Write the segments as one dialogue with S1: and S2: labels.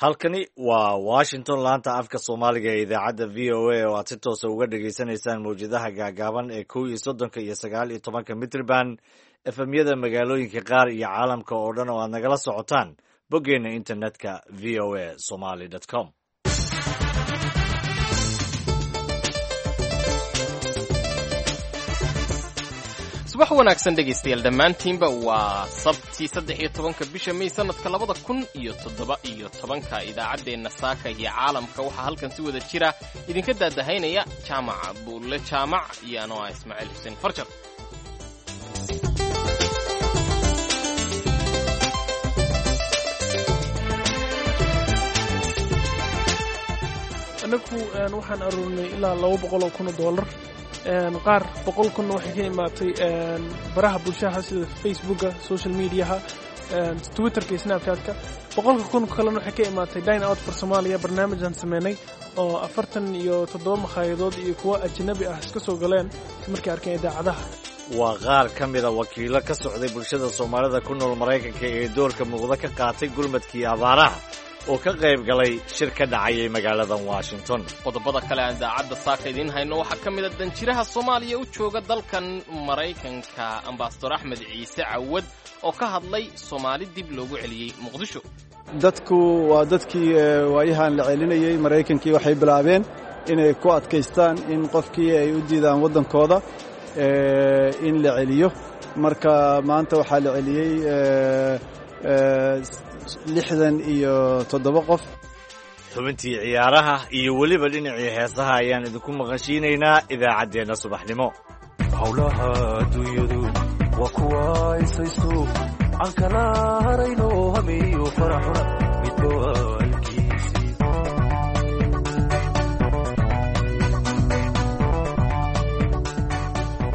S1: Halkani waa Washington, laanta afka Soomaaliga ee idaacadda VOA, oo aad si toosa uga dhagaysanaysaan mawjadaha gaagaaban ee 31-ka iyo 19-ka mitriban, efemyada magaalooyinka qaar iyo caalamka oo dhan oo aad nagala socotaan boggeenna internetka voasomali.com.
S2: Subax wanaagsan dhegaystayaal dhammaantiinba. Waa Sabti, 13-ka bisha May, sanadka 2017-ka. Idaacaddeenna saaka iyo caalamka waxaa halkan si wada jira idinka daadahaynaya Jaamaca Buulle Jaamac iyo anoo ah Ismaaciil Xuseen Farjar.
S3: Anagu waxaan aruurinay ilaa $200,000. Qaar 100,000-na waxay ka imaatay baraha bulshaha sida Facebooka, social mediaha, Twitterka iyo Snapchatka. 100,000 kalena waxay ka imaatay Dine Out for Somalia, barnaamijaan sameynay oo 47 makhaayadood iyo kuwo ajnabi ah iska soo galeen markay arkeen idaacadaha.
S1: Waa qaar ka mida wakiilo ka socday bulshada Soomaalida ku nool Maraykanka ee doorka muuqda ka qaatay gurmadkii abaaraha oo ka qayb galay shir ka dhacayay magaalada Washington.
S2: Qodobada kale aan idaacadda saaka idiin hayno waxaa ka mid a danjiraha Soomaaliya u jooga dalkan Maraykanka, Ambasador Axmed Ciise Cawad, oo ka hadlay Soomaali dib loogu celiyey Muqdisho.
S4: Dadku waa dadkii waayahan la celinayey. Maraykankii waxay bilaabeen inay ku adkaystaan in qofkii ay u diidaan waddankooda in la celiyo. Marka maanta waxaa la celiyey 67 qof.
S1: Xubintii ciyaaraha iyo weliba dhinacii heesaha ayaan idinku maqashiinaynaa idaacaddeenna subaxnimo.
S5: Howlaha adduunyadu waa kuwa isaysto aan kala harayno, hameeyo faraxuna midba waalkiisii.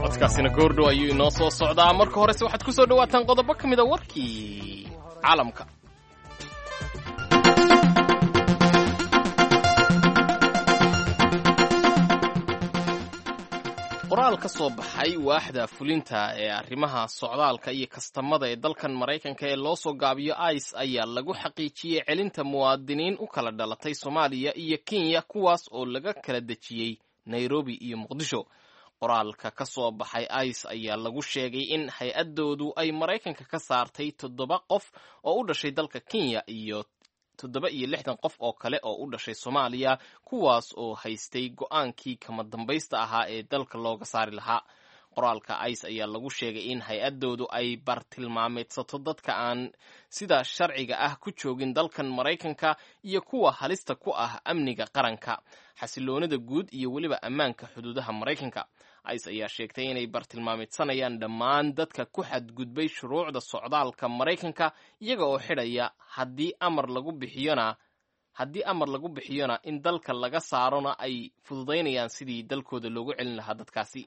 S2: Codkaasina goordhow ayuu inoo soo socdaa. Marka horese waxaad ku soo dhawaataan qodobo ka mida warkii caalamka. Qoraal ka soo baxay waaxda fulinta ee arrimaha socdaalka iyo kastamada ee dalkan Maraykanka ee loo soo gaabiyo ICE ayaa lagu xaqiijiyey celinta muwaadiniin u kala dhalatay Soomaaliya iyo Kenya, kuwaas oo laga kala dejiyey Nairobi iyo Muqdisho. Qoraalka ka soo baxay ICE ayaa lagu sheegay in hay-addoodu ay Maraykanka ka saartay 7 qof oo u dhashay dalka Kenya iyo 67 qof oo kale oo u dhashay Soomaaliya, kuwaas oo haystay go-aankii kama dambaysta ahaa ee dalka looga saari lahaa. Qoraalka ICE ayaa lagu sheegay in hay-addoodu ay bartilmaameedsato dadka aan sida sharciga ah ku joogin dalkan Maraykanka iyo kuwa halista ku ah amniga qaranka, xasiloonida guud iyo weliba ammaanka xuduudaha Maraykanka. ICE ayaa sheegtay inay bartilmaameedsanayaan dhammaan dadka ku xadgudbay shuruucda socdaalka Maraykanka, iyaga oo xidhaya haddii amar lagu bixiyona in dalka laga saarona ay fududaynayaan sidii dalkooda loogu celin lahaa dadkaasi.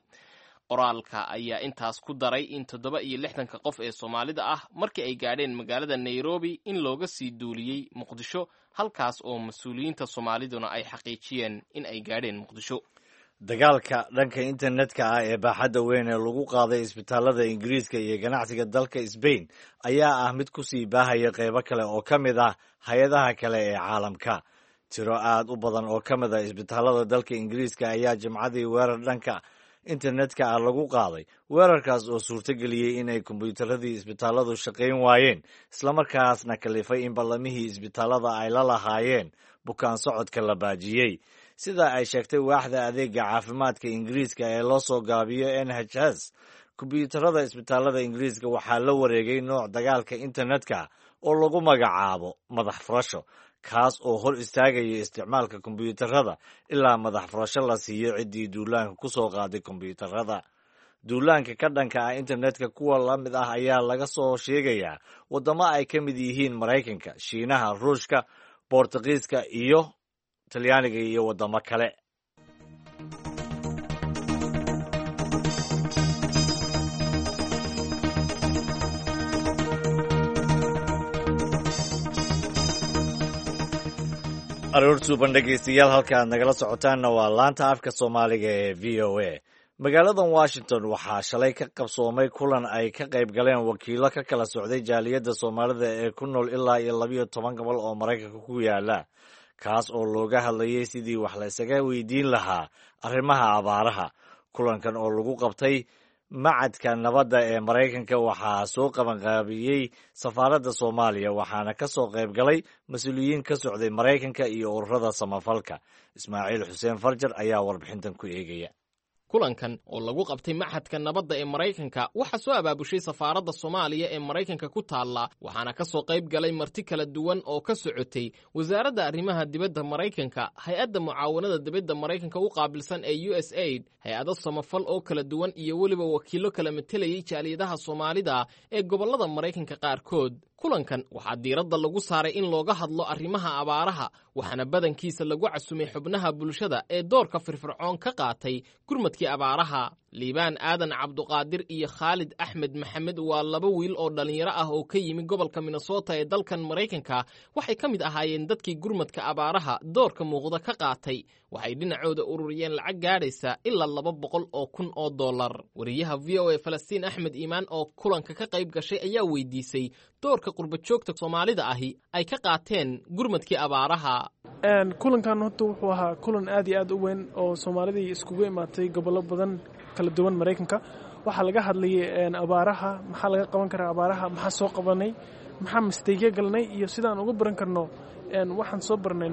S2: Qoraalka ayaa intaas ku daray in 67-ka qof ee Soomaalida ah markii ay gaadheen magaalada Nairobi in looga sii duuliyey Muqdisho, halkaas oo mas-uuliyiinta Soomaaliduna ay xaqiijiyeen in ay gaadheen Muqdisho.
S1: Dagaalka dhanka internetka ah ee baaxadda weyn ee lagu qaaday isbitaalada Ingiriiska iyo ganacsiga dalka Sbain ayaa ah mid ku sii baahaya qeybo kale oo ka mid ah hay-adaha kale ee caalamka. Tiro aad u badan oo ka mid ah isbitaalada dalka Ingiriiska ayaa Jimcadii weerar dhanka internetka ah lagu qaaday, weerarkaas oo suurtogeliyey inay kombiyuutaradii isbitaaladu shaqayn waayeen, islamarkaasna kalifay in ballamihii isbitaalada ay la lahaayeen bukaan socodka la baajiyey. Sida ay sheegtay waaxda adeega caafimaadka Ingiriiska ee loo soo gaabiyo NHS, kombiyuutarada isbitaalada Ingiriiska waxaa la wareegay nooc dagaalka internetka oo lagu magacaabo madax furasho, kaas oo hor istaagaya isticmaalka kombiyuutarada ilaa madax furasho la siiyo ciddii duulaanka ku soo qaaday kombiyuutarada. Duulaanka ka dhanka ah internetka kuwa la mid ah ayaa laga soo sheegayaa waddamo ay ka mid yihiin Maraykanka, Shiinaha, Ruushka, Boortaqiiska iyo Talyaaniga iyo waddamo kale. Aroor suuban dhegaystayaal, halka aad nagala socotaanna waa laanta afka Soomaaliga ee VOA. Magaaladan Washington waxaa shalay ka qabsoomay kulan ay ka qayb galeen wakiilo ka kala socday jaaliyadda Soomaalida ee ku nool ilaa iyo 12 gobol oo Maraykanka ku yaala, kaas oo looga hadlayay sidii wax la isaga weydiin lahaa arrimaha abaaraha. Kulankan oo lagu qabtay Macadka Nabadda ee Maraykanka waxaa soo qabanqaabiyey safaaradda Soomaaliya, waxaana ka soo qayb galay mas-uuliyiin ka socday Maraykanka iyo ururada samafalka. Ismaaciil Xuseen Farjar ayaa warbixintan ku eegaya.
S2: Kulankan oo lagu qabtay Maxadka Nabadda ee Maraykanka waxaa soo abaabushay safaaradda Soomaaliya ee Maraykanka ku taalla, waxaana ka soo qayb galay marti kala duwan oo ka socotay Wasaaradda Arrimaha Dibadda Maraykanka, hay-adda mucaawanada dibadda Maraykanka u qaabilsan ee USAID, hay-ado samafal oo kala duwan iyo weliba wakiillo kala matelayay jaaliyadaha Soomaalida ee gobollada Maraykanka qaarkood. Kulankan waxaa diiradda lagu saaray in looga hadlo arrimaha abaaraha, waxaana badankiisa lagu casumay xubnaha bulshada ee doorka firfircoon ka qaatay gurmadkii abaaraha. Liibaan Aadan Cabduqaadir iyo Khaalid Axmed Maxamed waa laba wiil oo dhallinyaro ah oo ka yimi gobolka Minnesota ee dalkan Maraykanka. Waxay ka mid ahaayeen dadkii gurmadka abaaraha doorka muuqda ka qaatay. Waxay dhinacooda ururiyeen lacag gaadhaysa ilaa $200,000. Wariyaha VOA Falastiin Axmed Iimaan oo kulanka ka qayb gashay ayaa weydiisay doorka qurbajoogta Soomaalida ahi ay ka qaateen gurmadkii abaaraha.
S3: Kulankan horta wuxuu ahaa kulan aad iyo aad u weyn oo Soomaalidii iskugu imaatay gobollo badan kala duwan Maraykanka. Waxaa laga hadlayay abaaraha, maxaa laga qaban karaa abaaraha, maxaa soo qabanay, maxaa mistakeyo galnay iyo sidaan uga baran karno waxaan soo barnay,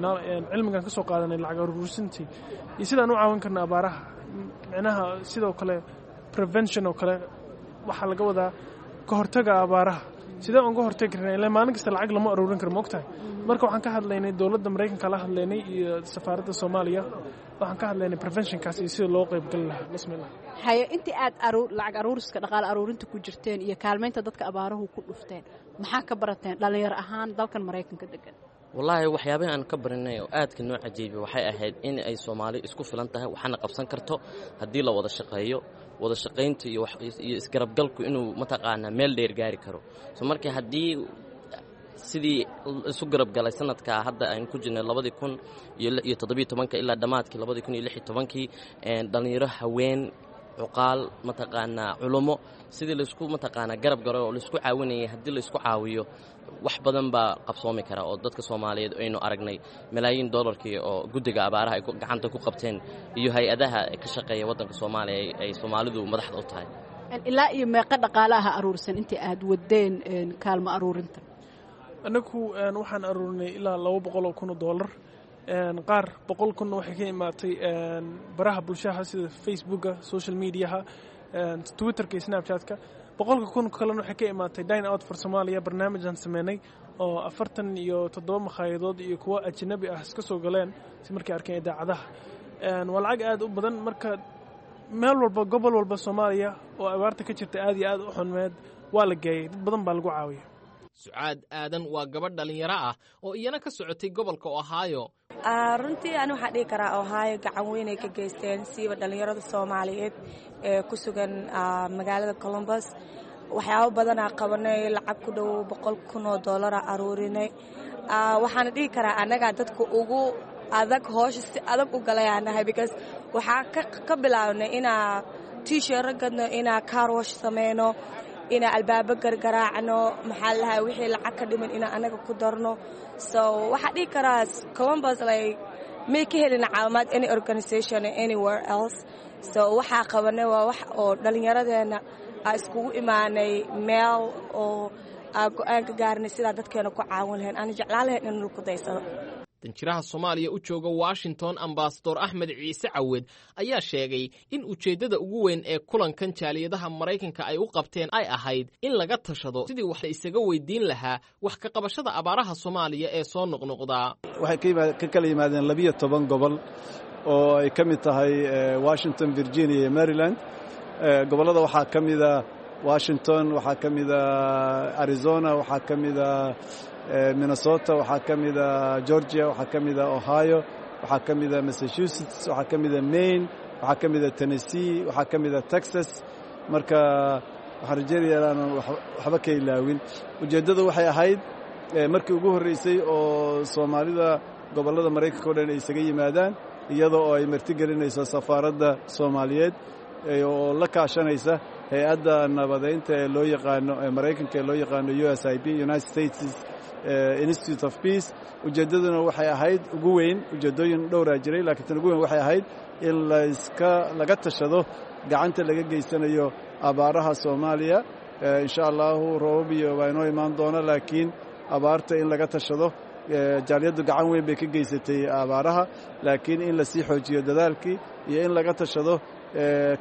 S3: cilmigan ka soo qaadanay lacag aruursintii, iyo sidaan u caawin karno abaaraha. Micnaha sidoo kale prevention oo kale waxaa laga wadaa ka hortaga abaaraha, sidee uga hortagi karnaa, ilaa maalin kasta lacag lama aruurin karo, maogtahay. Marka waxaan ka hadlaynay dowladda Maraykanka la hadlaynay iyo safaaradda Soomaaliya, waxaan ka hadlaynay preventionkaas iyo sida loo qaybgali lahaa bismillah.
S6: Haye, intii aad lacag aruuriska, dhaqaale aruurinta ku jirteen iyo kaalmaynta dadka abaaruhu ku dhufteen, maxaa ka barateen dhallinyaro ahaan dalkan Maraykanka degan?
S7: Wallaahi, waxyaabahi aan ka barinay oo aadka noo cajiibay waxay ahayd in ay Soomaali isku filan tahay, waxaana qabsan karto haddii la wada shaqeeyo. Wada shaqaynta iyo isgarabgalku inuu mataqaanaa meel dheer gaari karo. So marka haddii sidii isu garabgalay sanadka hadda aynu ku jirnay 2017-ka ilaa dhammaadkii 2016-kii, dhallinyaro, haween, cuqaal, mataqaanaa culummo, sidii laysku mataqaanaa garab garo oo laisku caawinayay, haddii laisku caawiyo wax badan baa qabsoomi kara. Oo dadka Soomaaliyeed aynu aragnay malaayiin dollarkii oo guddiga abaaraha ay gacanta ku qabteen iyo hay-adaha ka shaqeeya waddanka Soomaaliya ay Soomaalidu madaxda u tahay.
S6: Ilaa iyo meeqa dhaqaale aha aruursan intii aad wadeen kaalmo aruurinta?
S3: Annagu waxaan aruurinay ilaa $200,000. Qaar 100,000-na waxay ka imaatay baraha bulshaha sida Facebooka, social mediaha, Twitterka iyo Snapchatka. 100,000 kalena waxay ka imaatay Dine Out for Somalia, barnaamijaan sameynay oo 47 makhaayadood iyo kuwo ajnabi ah iska soo galeen si markay arkeen idaacadaha. Waa lacag aad u badan. Marka meel walba, gobol walba Soomaaliya oo abaarta ka jirta aad iyo aad u xunmeed waa la geeyey, dad badan baa lagu caawiya.
S2: Sucaad Aadan waa gabadh dhallinyaro ah oo iyana ka socotay gobolka Ohio.
S8: Runtii ani waxaan dhihi karaa Ohio gacan weynay ka geysteen, siiba dhallinyarada Soomaaliyeed ee ku sugan magaalada Columbus. Waxyaabo badanaa qabanay, lacag ku dhow $100,000 aruurinay. Waxaana dhihi karaa annagaa dadka ugu adag hoosha si adag u galayaa nahay, because waxaa ka bilaabnay inaa t-shirro gadno, inaa car wash sameyno, inaa albaabo gargaraacno, maxaa lahaa, wixii lacag ka dhiman inaa annaga ku darno. So waxaa dhihi karaa Columbus like may ka helin caawimaad any organization anywhere else. So waxaa qabanay waa wax oo dhallinyaradeenna aa iskugu imaanay meel oo aa go-aan ka gaarnay sidaa dadkeena ku caawin lahayn, aana jeclaan lahayn in lagu daysado.
S2: Danjiraha Soomaaliya u jooga Washington, Ambasador Axmed Ciise Cawed, ayaa sheegay in ujeeddada ugu weyn ee kulankan jaaliyadaha Maraykanka ay u qabteen ay ahayd in laga tashado sidii wax la isaga weydiin lahaa wax ka qabashada abaaraha Soomaaliya ee soo noqnoqdaa.
S4: Waxay ka kala yimaadeen 12 gobol oo ay ka mid tahay Washington, Virginia iyo Maryland. Gobollada waxaa ka mida Washington, waxaa ka mida Arizona, waxaa ka mida Minnesota, waxaa ka mida Georgia, waxaa ka mida Ohio, waxaa ka mida Massachusetts, waxaa ka mida Maine, waxaa ka mida Tennessee, waxaa ka mida Texas. Marka waxaan rajeynaya inaanan waxba ka ilaawin. Ujeeddadu waxay ahayd markii ugu horreysay oo Soomaalida gobollada Maraykanka o dhan ay isaga yimaadaan, iyadoo oo ay martigelinayso safaaradda Soomaaliyeed. oo la kaashanaysa hay-adda nabadeynta ee loo yaqaano ee Maraykanka ee loo yaqaano USIP, United States Institute of Peace. Ujeeddaduna waxay ahayd ugu weyn, ujeeddooyin dhowraa jiray, laakiin tan ugu weyn waxay ahayd in layska laga tashado gacanta laga geysanayo abaaraha Soomaaliya. Insha Allahu roobab iyo waa inoo imaan doona, laakiin abaarta in laga tashado. Jaaliyaddu gacan weyn bay ka geysatay abaaraha, laakiin in lasii xoojiyo dadaalkii iyo in laga tashado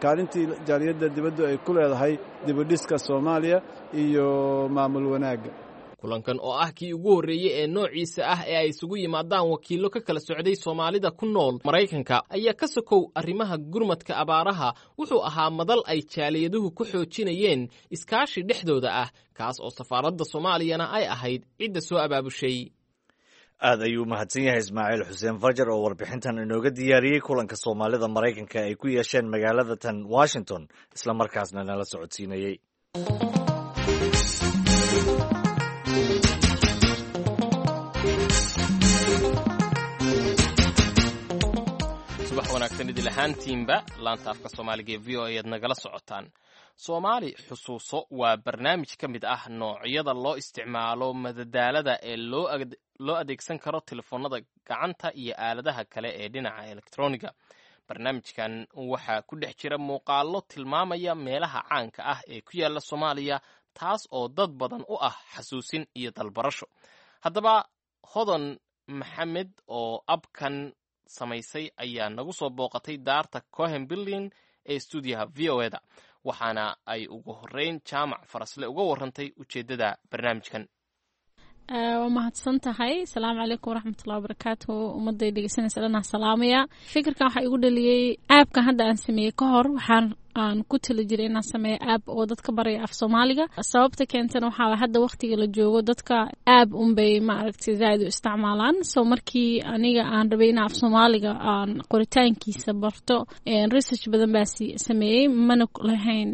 S4: kaalintii jaaliyadda dibaddu ay ku leedahay dibudhiska Soomaaliya iyo maamul wanaagga.
S2: Kulankan oo ah kii ugu horreeyey ee noociisa ah ee ay isugu yimaadaan wakiillo ka kala socday Soomaalida ku nool Maraykanka ayaa ka sokow arrimaha gurmadka abaaraha wuxuu ahaa madal ay jaaliyaduhu ku xoojinayeen iskaashi dhexdooda ah, kaas oo safaaradda Soomaaliyana ay ahayd cidda soo abaabushay.
S1: Aad ayuu mahadsan yahay Ismaaciil Xuseen Farjar oo warbixintan inooga diyaariyey kulanka Soomaalida Maraykanka ay ku yeesheen magaalada tan Washington, isla markaasna nala socodsiinayey.
S2: Subax wanaagsan idil ahaantiinba, laanta afka Soomaaliga ee VOA ayaad nagala socotaan. Soomaali Xusuuso waa barnaamij ka mid ah noocyada loo isticmaalo madadaalada ee loo adeegsan karo telefoonada gacanta iyo aaladaha kale ee dhinaca elektroniga. Barnaamijkan waxaa ku dhex jira muuqaallo tilmaamaya meelaha caanka ah ee ku yaala Soomaaliya, taas oo dad badan u ah xasuusin iyo dalbarasho. Haddaba Hodan Maxamed oo abkan samaysay ayaa nagu soo booqatay daarta Cohen Building ee stuudiyaha VOA da, waxaana ay ugu horreyn Jaamac Farasle uga warrantay ujeeddada barnaamijkan.
S9: Waa mahadsan tahay. Asalaamu calaykum waraxmatullahi wabarakaatu. Ummadday dhegeysanaysa dhanaa salaamaya. Fikirkan waxaa igu dhaliyey aabkan hadda aan sameeyey ka hor waxaan aan ku tali jiray inaan sameeyo aab oo dadka baraya af Soomaaliga. Sababta keentana waxaa hadda waqtiga la joogo dadka aab unbay maaragtay zaaid u isticmaalaan. So markii aniga aan rabay inaan af Soomaaliga aan qoritaankiisa barto, research badan baa sameeyey, mana lahayn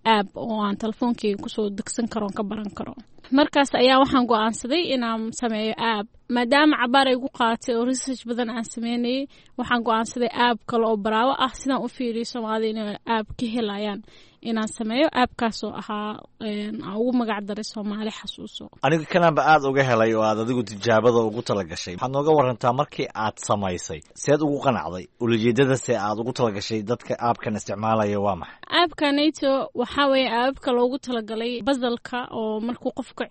S9: aab oo aan telefoonkeyga kusoo degsan karo oon ka baran karo. Markaas ayaa waxaan go-aansaday inaan sameeyo aab. Maadaama cabaar ay gu qaaatay oo research badan aan sameynayay, waxaan go-aansaday aab kale oo baraawo ah sidaan u fiiriyo Soomaalida inay aab ka helayaan inaan sameeyo aabkaas oo ahaa aan ugu magac daray Soomaali Xasuuso.
S1: Aniga kanaanba aada uga helay oo aad adigu tijaabada ugu tala gashay. Waxaad nooga warantaa markii aad samaysay seed ugu qanacday, ulajeedada se aad ugu talagashay dadka aabkan isticmaalaya waa maxay?
S9: Aabka nato waxaa weeye aababka loogu talagalay basalka oo markuu qofka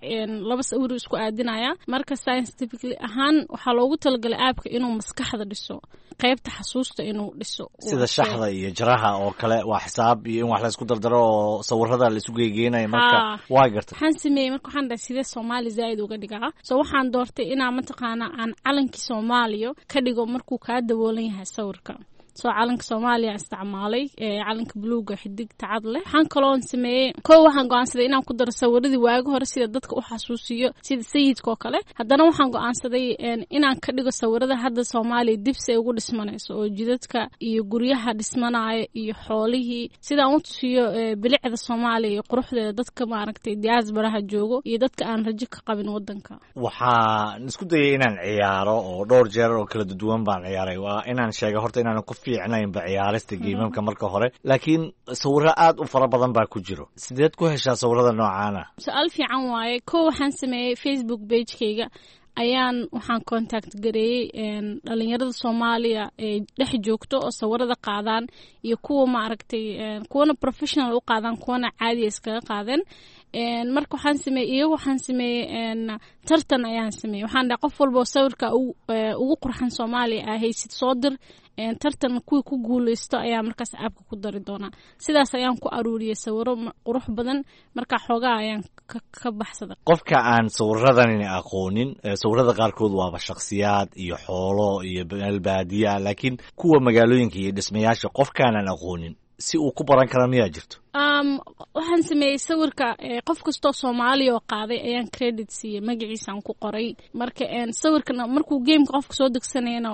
S9: laba sawir isku aadinaya. Marka scientifically ahaan waxaa loogu talagalay aabka inuu maskaxda dhiso, qaybta xasuusta inuu dhiso.
S1: Sida shaxda iyo jaraha oo kale, waa xisaab iyo in wax la isku dardaro oo sawirada la isu geygeenayo. Marka waa gartay.
S9: Waxaan sameeyey marka waxaan dhahay sidee Soomaali zaaid uga dhigaa. So waxaan doortay inaan mataqaana aan calankii Soomaaliya ka dhigo markuu kaa daboolan yahay sawirka. Soo calanka Soomaaliya isticmaalay, calanka buluuga xidigta cad leh. Waxaan kaloon sameeyey kow waxaan go-aansaday inaan ku daro sawiradii waagi hore sida dadka u xasuusiyo, sida sayidka oo kale. Haddana waxaan go-aansaday inaan ka dhigo sawirada hadda Soomaaliya dibsi ay ugu dhismanayso oo jidadka iyo guryaha dhismanaya iyo xoolihii, sidaan u tusiyo bilicda Soomaaliya iyo quruxdeeda dadka maaragtay diaasbaraha joogo iyo dadka aan rajo ka qabin wadanka.
S1: Waxaan isku dayay inaan ciyaaro oo dhowr jeer oo kala duwan baan ciyaaray. Waa inaan sheega horta inaan ku fiicnaynba ciyaarista geemamka marka hore, laakiin sawiro aad u fara badan baa ku jiro. Sideed ku heshaa sawirada noocaana?
S9: Su-aal fiican waaye. Kow waxaan sameeyey Facebook pagekayga ayaan waxaan contact gareeyey dhalinyarada Soomaaliya ee dhex joogto oo sawirada qaadaan iyo kuwa maaragtay kuwana professional u qaadaan, kuwana caadiya iskaga qaadeen. Marka waxaan sameeyey iyagu waxaan sameeyey tartan ayaan sameeyey. Waxaan dhahay qof walba oo sawirka ugu qurxan Soomaaliya aa haysid soo dir, tartan kuwii ku guuleysto ayaa markaas aabka ku dari doonaa. Sidaas ayaan ku aruuriyey sawiro qurux badan. Marka xoogaa ayaan ka baxsaday.
S1: Qofka aan sawiradan aqoonin, sawirada qaarkood waaba shakhsiyaad iyo xoolo iyo meel baadiya, laakiin kuwa magaalooyinka iyo dhismayaasha qofkaanan aqoonin si uu ku baran kara miyaa jirto?
S9: Waxaan sameeyey sawirka qof kastoo Soomaaliya oo qaaday ayaan credit siiyey, magaciisaan ku qoray. Marka sawirkan markuu gameka qofka soo degsanayana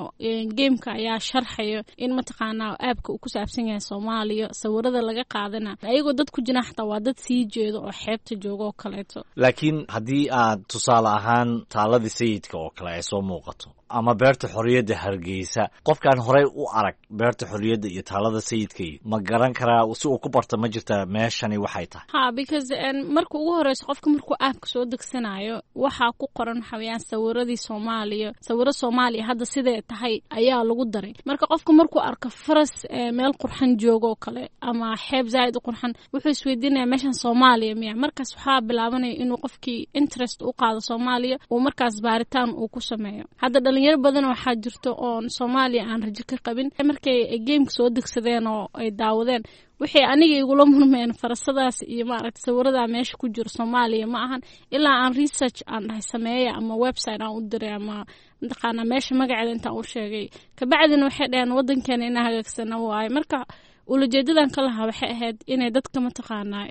S9: gameka ayaa sharxayo in mataqaanaa aabka uu ku saabsan yahay Soomaaliya. Sawirada laga qaadana ayagoo dad ku jira xataa waa dad sii jeedo oo xeebta jooga oo kaleeto.
S1: Laakiin haddii aad tusaale ahaan taaladii sayidka oo kale ay soo muuqato Ama beerta xorriyadda Hargeysa, qofkaan horey u arag beerta xorriyadda iyo taalada Sayidka iyo ma garan karaa? Si uu ku barto ma jirta meeshani waxay tahay?
S9: Ha, because marka ugu horeyso qofka markuu app-ka soo degsanayo, waxaa ku qoran waxa weeyaan sawiradii Soomaaliya, sawiro Soomaaliya hadda sidee tahay ayaa lagu daray. Marka qofka markuu arko faras meel qurxan joogo oo kale ama xeeb zaaid u qurxan, wuxuu isweydiinaya, meeshan Soomaaliya miya? Markaas waxaa bilaabanaya inuu qofkii interest u qaado Soomaaliya, uu markaas baaritaan uu ku sameeyo. Hadda dhalinyaro badan waxaa jirto oon Soomaaliya aan rajo ka qabin. Markay gameka soo degsadeen oo ay daawadeen, waxay aniga igula murmeen, farasadaas iyo maaragta sawiradaa meesha ku jiro Soomaaliya ma ahan, ilaa aan research aan dhahay sameeya ama website aan u diray ama mataqaanaa meesha magaceeda intaan u sheegay. Kabacdina waxay dhaheen, wadankeena inaa hagaagsana waaye. Marka ulajeedadan ka lahaa waxay ahayd inay dadka mataqaanaa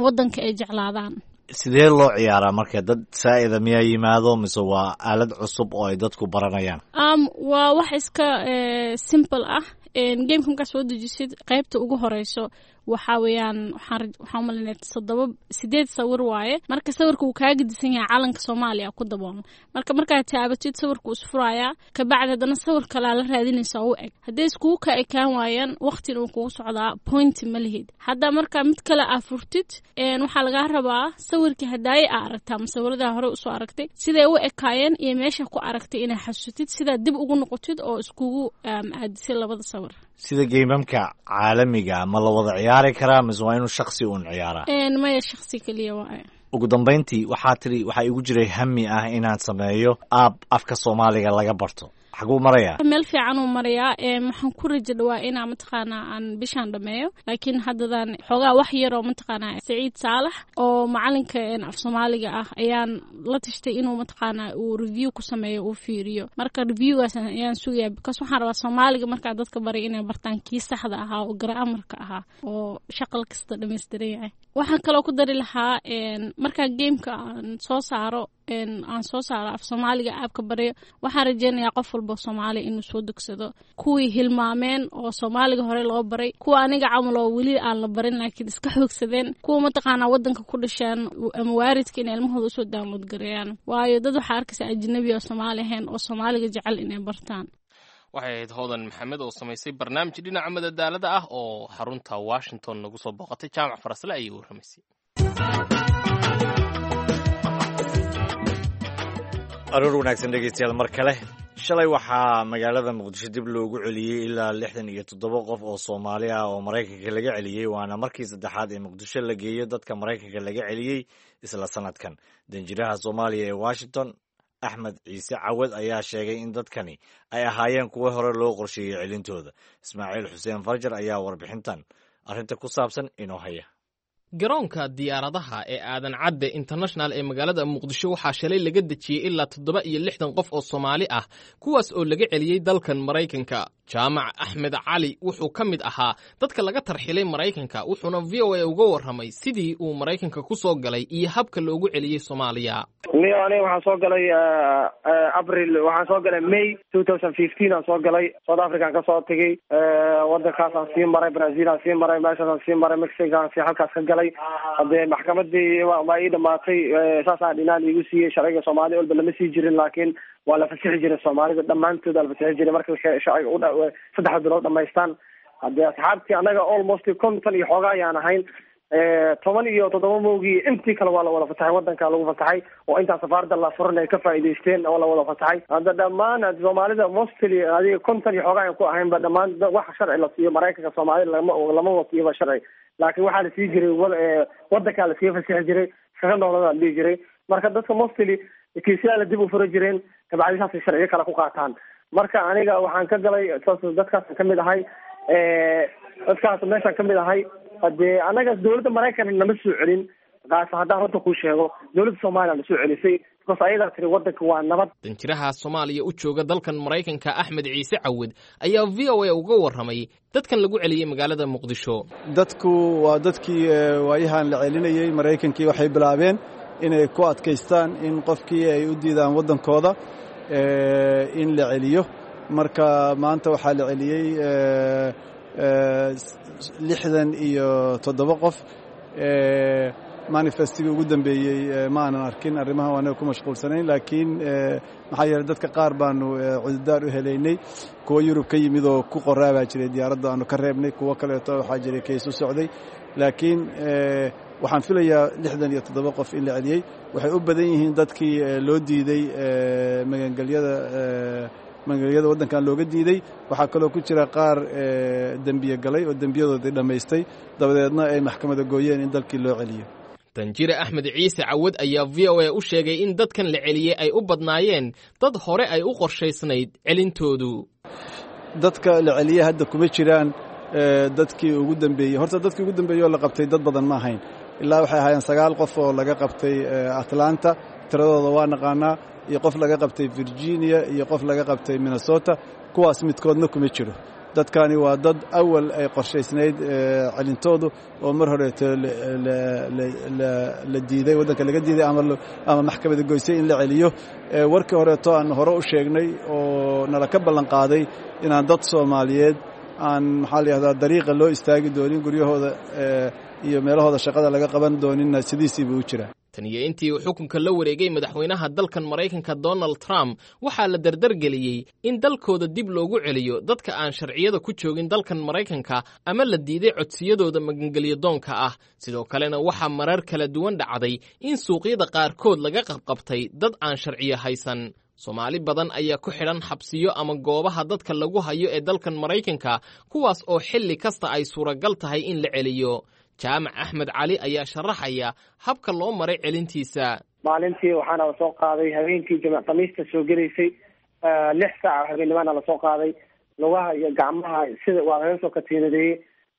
S9: wadanka ay jeclaadaan.
S1: Sidee loo ciyaaraa marka? Dad saa'ida miyaa yimaado mise waa aalad cusub oo ay dadku baranayaan?
S9: Waa wax iska simple ah. Gameka markaa soo dejisid, qaybta ugu horeyso waxaa weeyaan, waxaan umalinaya toddoba sideed sawir waaye. Marka sawirka uu kaaga disan yahay calanka Soomaaliya ku daboolan. Marka markaad taabatid, sawirka uu isfurayaa. Kabacdi haddana sawir kalaa la raadinaysa u eg. Hadday iskugu ka ekaan waayaan, waqtina uu kugu socdaa, point ma lihid. Hadda marka mid kale aa furtid, waxaa lagaa rabaa sawirkii hadaaye aa aragtaa ama sawiradaa hore usoo aragtay siday u ekaayeen iyo meesha ku aragtay inay xasuusatid, sidaa dib ugu noqotid oo iskugu aadisay labada sawir.
S1: Sida geymamka caalamiga, ma la wada ciyaari karaa mise waa inuu shaksi uun ciyaaraa?
S9: Maya, shaksi keliya waaye.
S1: Ugu dambayntii, waxaa tiri waxaa igu jiray hami ah inaan sameeyo app afka Soomaaliga laga barto. Xaguu marayaa?
S9: Meel fiican uu marayaa. Waxaan ku rajo dhawaa inaa mataqaanaa aan bishaan dhameeyo, laakiin haddadan xoogaa wax yaroo mataqaanaa Saciid Saalax oo macalinka af Soomaaliga ah ayaan la tashtay inuu mataqaanaa uu review ku sameeyo, uu fiiriyo. Marka reviewgaas ayaan sugaya, because waxaan rabaa Soomaaliga markaa dadka baray inay bartaan kii saxda ahaa oo grammarka ahaa oo shaqal kasta dhammaystiran yahay. Waxaan kaloo ku dari lahaa, markaa gameka aan soo saaro, aan soo saaro af Soomaaliga app-ka baryo, waxaan rajeynayaa qof walba Soomaaliya inuu soo degsado, kuwii hilmaameen oo Soomaaliga hore loo baray, kuwa aniga camal oo weli aan la barin laakiin iska xoogsadeen, kuwa mataqaanaa wadanka ku dhasheen ama waaridka inay ilmahooda usoo download gareeyaan, waayo dad waxaa arkaysa ajnabi oo Soomaali ahayn oo Soomaaliga jecel inay bartaan.
S2: Waxay ahayd Hodan Maxamed oo samaysay barnaamij dhinaca madadaalada ah oo xarunta Washington nagu soo booqatay. Jaamac Farasle ayay warramaysay.
S1: Aroor wanaagsan, dhegeystayaal, mar kale. Shalay waxaa magaalada Muqdisho dib loogu celiyey ilaa 67 qof oo Soomaali ah oo Maraykanka laga celiyey, waana markii saddexaad ee Muqdisho la geeyo dadka Maraykanka laga celiyey isla sanadkan. Danjiraha Soomaaliya ee Washington, Axmed Ciise Cawad, ayaa sheegay in dadkani ay ahaayeen kuwo hore loo qorsheeyey celintooda. Ismaaciil Xuseen Farjar ayaa warbixintan arrinta ku saabsan inoo haya.
S2: Garoonka diyaaradaha ee Aadan Cadde International ee magaalada Muqdisho waxaa shalay laga dejiyey ilaa 67 qof oo Soomaali ah, kuwaas oo laga celiyey dalkan Maraykanka. Jaamac Axmed Cali wuxuu ka mid ahaa dadka laga tarxilay Maraykanka, wuxuuna VOA uga warramay sidii uu Maraykanka ku soo galay iyo habka loogu celiyey Soomaaliya.
S10: Niyo, aniga waxaan soo galay April, waxaan soo galay May 2015 aan soo galay. South Africa aan kasoo tegay, wadankaasaan sii maray, Brazil aan sii maray, meeshaasaan sii maray, Mexico aan sii halkaas ka galay. Hadee maxkamadii waa ii dhamaatay, saasaa dhinaan iigu siiyey. Sharciga Soomaaliya walba lama sii jirin, laakiin waa la fasixi jiray. Soomaalida dhammaantood waa la fasixi jiray marka sharciga 3 bilood dhamaystaan. Hadee asxaabtii anaga almost 50 iyo xooga ayaan ahayn, 17 moogii, intii kale waa la wada fasaxay, wadankaa lagu fasaxay oo intaa safaarada la furan ay ka faa'iidaysteen oo la wada fasaxay. Hadda dhammaan Soomaalida mostly adiga 50 iyo xooga ayaan ku ahaynba, dhammaan wax sharci la siiyo Maraykanka Soomaalida lama wasiiba sharci, laakiin waxaa la sii jiray wadankaa lasii fasixi jiray, iskaga noolada la dhihi jiray. Marka dadka mostly kiisyaa la dib u fura jireen, kabacdi saasay sharciyo kale ku qaataan. Marka aniga waxaan ka galay saas, dadkaasaan kamid ahay, dadkaas meeshaan kamid ahay. Hadee anaga dawladda Maraykanka nama soo celin, kaas haddaan runta kuu sheego, dawladda Soomaaliya na soo celisay, because ayadaa tiri wadanka waa nabad.
S2: Danjiraha Soomaaliya u jooga dalkan Maraykanka, Axmed Ciise Cawad, ayaa VOA uga warramay dadkan lagu celiyey magaalada Muqdisho.
S4: Dadku waa dadkii waayahan la celinayey. Maraykankii waxay bilaabeen inay ku adkaystaan in qofkii ay u diidaan waddankooda in la celiyo. Marka maanta waxaa la celiyey 67 qof. Manifestigii ugu dambeeyey ma aanan arkin, arrimaha anaga ku mashquulsanayn, laakiin maxaa yeeley dadka qaar baanu cududaar u helaynay. Kuwo Yurub ka yimid oo ku qoraa baa jiray diyaaradda aanu ka reebnay, kuwo kaleeto waxaa jiray kays u socday, laakiin waxaan filayaa 67 qof in la celiyey. Waxay u badan yihiin dadkii loo diiday magangelyada, magangelyada waddankan looga diiday. Waxaa kaloo ku jira qaar dembiye galay oo dembiyadoodii dhammaystay, dabadeedna ay maxkamada gooyeen in dalkii loo celiyo.
S2: Danjire Axmed Ciise Cawad ayaa VOA u sheegay in dadkan la celiyey ay u badnaayeen dad hore ay u qorshaysnayd celintoodu.
S4: Dadka la celiyey hadda kuma jiraan dadkii ugu dambeeyey. Horta dadkii ugu dambeeyey oo la qabtay dad badan ma ahayn, ilaa waxay ahaayeen 9 qof oo laga qabtay Atlanta, tiradooda waa naqaanaa, iyo qof laga qabtay Virginia iyo qof laga qabtay Minnesota. Kuwaas midkoodna kuma jiro. Dadkani waa dad awal ay qorshaysnayd celintoodu oo mar horeeto la diiday, waddanka laga diiday ama maxkamada goysay in la celiyo. Warkii horeeto aan hore u sheegnay oo nala ka ballan qaaday inaan dad Soomaaliyeed aan, maxaa la yihahdaa, dariiqa loo istaagi doonin, guryahooda iyo meelahooda shaqada laga qaban dooninna, sidiisii buu u jiraa.
S2: Tan iyo intii uu xukunka la wareegay madaxweynaha dalkan Maraykanka Donald Trump, waxaa la dardargeliyey in dalkooda dib loogu celiyo dadka aan sharciyada ku joogin dalkan Maraykanka ama la diiday codsiyadooda magangelyo doonka ah. Sidoo kalena waxaa marar kala duwan dhacday in suuqyada qaarkood laga qabqabtay dad aan sharciyo haysan. Soomaali badan ayaa ku xidhan xabsiyo ama goobaha dadka lagu hayo ee dalkan Maraykanka, kuwaas oo xilli kasta ay suuragal tahay in la celiyo. Jaamac Axmed Cali ayaa sharaxaya habka loo maray celintiisa.
S10: Maalintii waxaana lasoo qaaday habeenkii jimc khamiista soo gelaysay, 6 saac habeennimana lasoo qaaday. Lugaha iyo gacmaha sida waa laga soo katiinadeeyey,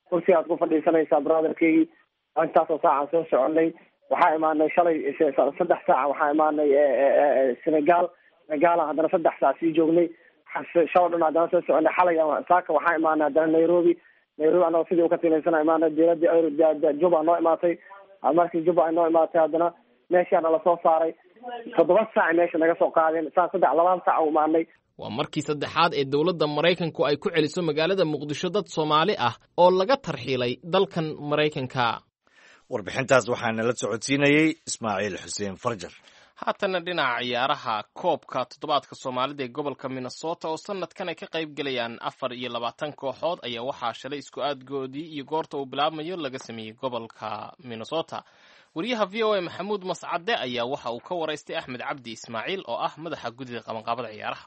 S10: kursi aad ku fadhiisanaysaa, brotherkeygii. Intaasoo saacaan soo soconay, waxaa imaanay shalay 3 saaca, waxaa imaanay Senegal. Senegalan haddana 3 saac sii joognay. Shaloo dhan haddana soo soconay. Xalay saaka waxaa imaanay haddana Nairobi. Nairobi anagoo sidii ukatiinaysana imaanay diyaaradii Juba noo imaatay. Markii Juba ay noo imaatay, haddana meeshaana lasoo saaray 7 saac, meesha naga soo qaadeen saa 3 2 saac u imaanay.
S2: Waa markii saddexaad ee dowladda Maraykanku ay ku celiso magaalada Muqdisho dad Soomaali ah oo laga tarxiilay dalkan Maraykanka.
S1: Warbixintaas waxaa nala socodsiinayey Ismaaciil Xuseen Farjar.
S2: Haatanna dhinaca ciyaaraha, koobka toddobaadka Soomaalida ee gobolka Minnesota oo sanadkan ay ka qayb gelayaan 24 kooxood ayaa waxaa shalay isku aadgoodii iyo goorta uu bilaabmayo laga sameeyey gobolka Minnesota. Wariyaha VOA Maxamuud Mascade ayaa waxa uu ka waraystay Axmed Cabdi Ismaaciil oo ah madaxa guddida qabanqaabada ciyaaraha.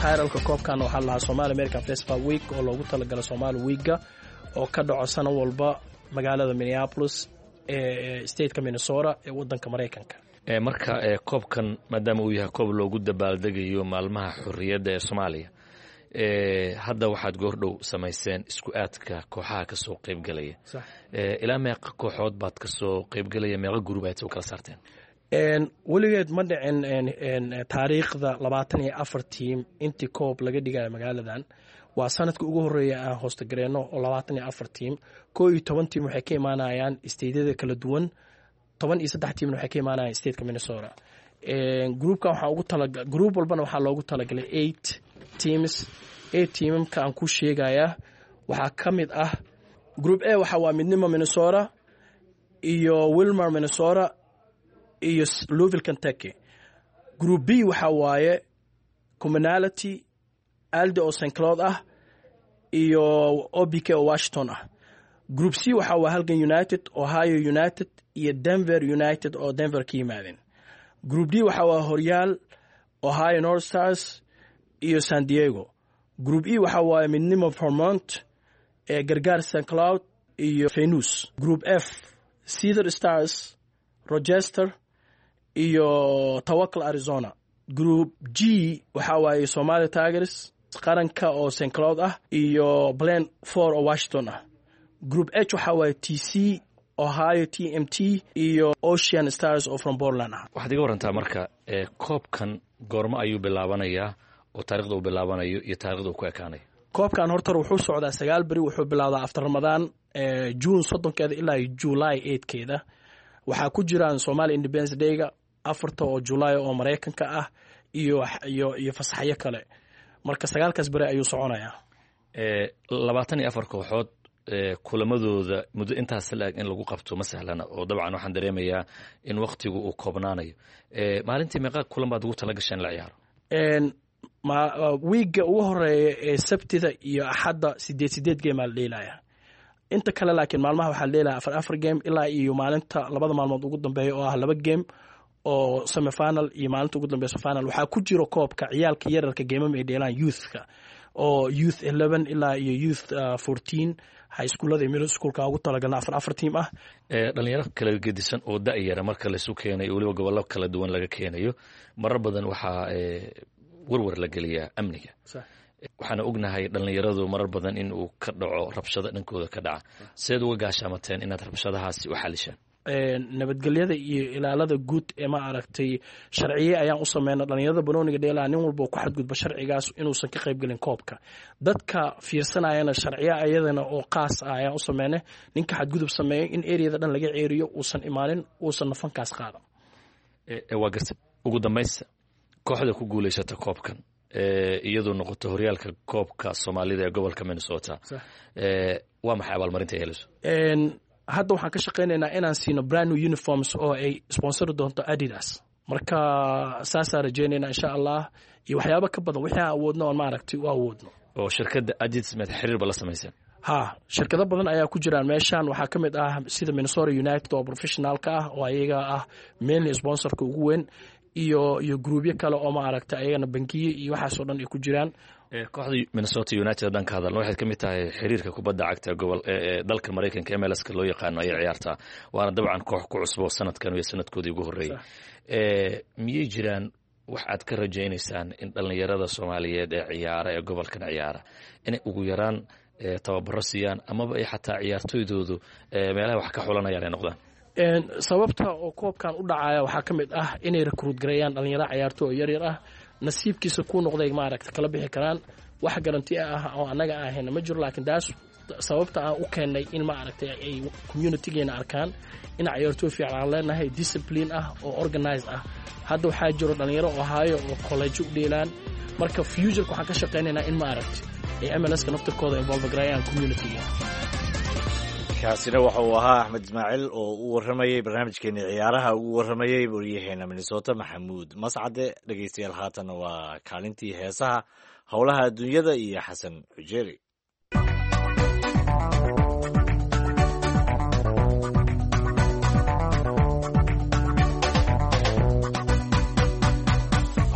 S11: Tayralka koobkan waxaa lahaa Somali American Festival Week oo loogu talagalay Somali Weekga oo ka dhaco sano walba magaalada Minneapolis ee stateka Minnesota ee wadanka Maraykanka.
S12: Marka koobkan maadaama uu yahay koob loogu dabaaldegayo maalmaha xorriyadda ee Soomaaliya, hadda waxaad goordhow samayseen isku aadka kooxaha kasoo qaybgelaya. Ilaa meeqa kooxood baad kasoo qaybgelaya? Meeqa group ayaad u kala saarteen?
S11: Weligeed ma dhicin taariikhda 24 team intii koob laga dhigayo magaaladan. Waa sanadka ugu horeeya aan hoostagareyno oo 24 team. 11 team waxay ka imaanayaan stateyada kala duwan, 13 teamna waxay ka imaanayaan stateka Minnesota. Groupkan waxaa ugu tala, group walbana waxaa loogu talagalay eight teams. Eight teamamka aan ku sheegayaa waxaa ka mid ah Group A waxa waa Midnimo Minnesota iyo Willmar Minnesota iyo Louisville, Kentucky. Group B waxa waaye Commonality, Aldi oo St Cloud ah iyo OBK oo Washington ah. Group C waxa waa Halgan United, Ohio United iyo Denver United oo Denver ka yimaadeen. Group D waxa waa Horyaal, Ohio North Stars iyo San Diego. Group E waxa waaye Midnimo Vermont ee Gargaar St Cloud iyo Venus. Group F, Cedar Stars, Rochester iyo Tawakal Arizona. Group G waxa waaye Somali Tigers, Qaranka oo St Cloud ah iyo Plan 4 oo Washington ah. Group H waxa waaye TC, Ohio TMT iyo Ocean Stars oo from Portland ah.
S12: Waxaad iga warantaa marka koobkan goormo ayuu bilaabanayaa oo taarikhda uu bilaabanayo iyo taarikhda uu ku ekaanayo?
S11: Koobkan horta wuxuu socdaa 9 beri. Wuxuu bilaabdaa after Ramadaan, June 30-keeda ilaa July 8-keeda. Waxaa ku jiraan Somali Independence Dayga 4-ta oo July oo Maraykanka ah iyo fasaxyo kale. Marka sagaalkaas beri ayuu soconayaa.
S12: 24 kooxood kulamadooda muddo intaas la-eg in lagu qabto ma sahlana, oo dabcan waxaan dareemayaa in waktigu uu koobnaanayo. Maalintii meeqa kulan baad ugu tala gasheen la ciyaaro?
S11: Wiigga ugu horeeya ee Sabtida iyo Axadda 8 8 game aa la dheelaya. Inta kale laakiin maalmaha waxaa la dheelaya 4 4 game, ilaa iyo maalinta labada maalmood ugu dambeeya oo ah laba game oo semifinal iyo maalinta ugu dambeysa final. Waxaa ku jiro koobka ciyaalka yararka game-am ay dheelaan, youthka oo youth 11 ilaa iyo youth 14, high schoolada iyo middle schoolka ugu talagalna 4 4 team ah.
S12: Dhalinyaro kala gedisan oo da-yara marka laisu keenayo, weliba gobollo kala duwan laga keenayo, marar badan waxaa warwar la geliyaa amniga. Waxaana ognahay dhalinyaradu marar badan in uu ka dhaco rabshado dhankooda ka dhaca. Sideed uga gaashaamateen inaad rabshadahaasi u xalishaan?
S11: Nabadgelyada iyo ilaalada guud ee ma aragtay sharciye ayaan u sameyna. Dhalinyarada banooniga dheelaa, nin walba oo ku xadgudba sharcigaas inuusan ka qaybgelin koobka. Dadka fiirsanayana sharciye ayadana oo qaas ah ayaan u sameynay, ninka xadgudub sameeyo in areada dhan laga ceeriyo, uusan imaanin, uusan nafankaas qaadan.
S12: Waa garta. Ugu dambaysta, kooxda ku guulaysata koobkan, iyadoo noqoto horyaalka koobka Soomaalida ee gobolka Minnesota, waa maxay abaalmarinta ay helayso?
S11: Hadda waxaan ka shaqaynaynaa inaan siino brand new uniforms oo ay sponsori doonto Adidas. Marka saasaa rajeynayna, insha Allah, iyo waxyaabo ka badan wixii aan awoodno oon maaragtay u awoodno.
S12: Oo shirkadda Adidas meed xiriir ba la samayseen?
S11: Ha, shirkado badan ayaa ku jiraan meeshan. Waxaa ka mid ah sida Minnesota United oo professionalka ah, oo ayaga ah mainly sponsorka ugu weyn, iyo groupyo kale oo ma aragtay ayagana bangiye iyo waxaasoo dhan ay ku jiraan.
S12: Kooxda Minnesota United haddaan ka hadalno, waxay ka mid tahay xiriirka kubadda cagta gobol ee dalka Maraykanka, MLS-ka loo yaqaano ayay ciyaartaa, waana dabcan koox ku cusbo sanadkan iyo sanadkoodii ugu horreeyey. Miyay jiraan wax aad ka rajaynaysaan in dhallinyarada Soomaaliyeed ee ciyaara ee gobolkan ciyaara inay ugu yaraan tababaro siiyaan, amaba ay xataa ciyaartoydoodu meelaha wax ka xulanayaan ay noqdaan?
S11: Sababta oo koobkan u dhacaya waxaa ka mid ah inay recruit gareeyaan dhalinyaro ciyaartoy oo yaryar ah, nasiibkiisa ku noqday maaragta kala bixi karaan. Wax guarantee ah oo annaga aan hayna ma jiro, laakiin taas sababta aan u keennay in ma aragtay ay communitygeena arkaan in ciyaartooy fiican aan leenahay, discipline ah oo organized ah. Hadda waxaa jiro dhalinyaro Ohio oo college u dheelaan. Marka futureka waxaan ka shaqaynaynaa in ma aragtay ay MLS-ka naftirkooda involve gareeyaan communityga.
S1: Kaasina waxa uu ahaa Axmed Ismaaciil oo u warramayey barnaamijkeeni ciyaaraha, ugu warramayey waryaheena Minnesota Maxamuud Mascade. Dhegeystayaal, haatan waa kaalintii heesaha, howlaha adduunyada iyo Xasan Xujeeri.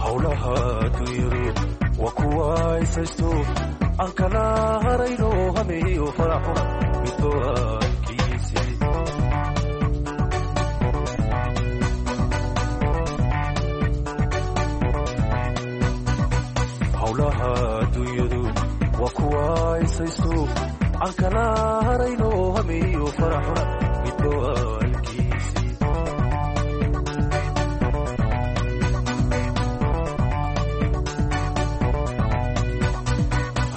S5: Howlaha adduunyadu waa kuwa isaysto aan kala harayno, hameeyo faraxuna middoankiisii. Howlaha adduunyadu waa kuwa isaysto aan kala harayno, hameeyo faraxuna middoankiisii.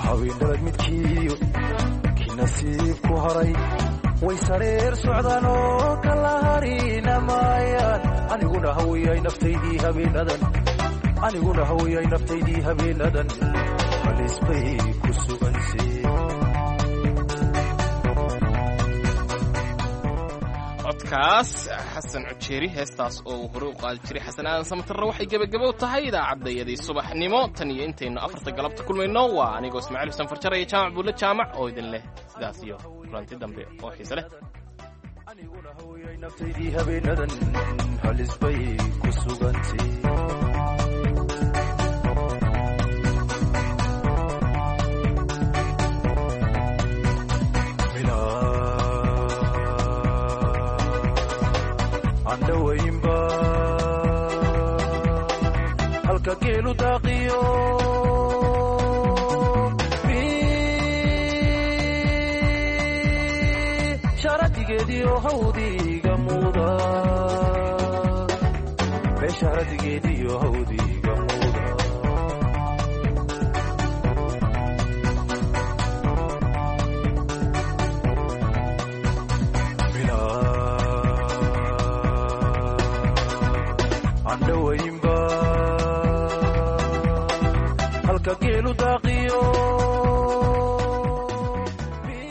S5: Haween midkiiyo kii nasiibku haray way sareer socdaan oo kala harina maayaan. Aniguna hawiyay naftaydii habeenadan, aniguna hawiyay naftaydii habeenadan, halis bay ku sugansee.
S2: Codkaas Xasan Cujeeri, heestaas oo uu hore u qaadi jiray Xasan Aadan Samatarre, waxay gebagabow tahay idaacaddayadii subaxnimo. Tan iyo intaynu 4ta galabta kulmayno, waa anigoo Ismaaciil Xuseen Farjar iyo Jaamac Buulle Jaamac oo idin leh sidaas iyo kulanti dambe oo xiise leh.
S5: Aniguna hawiyay naftaydii habeenadan, halis bay ku sugantay. Andhawaynba halka geelu daaqiyo sharadigeediyo hawdiga muda, beesharadigeediyo hawdiga muda. Andhawaynba halka geelu daaqi.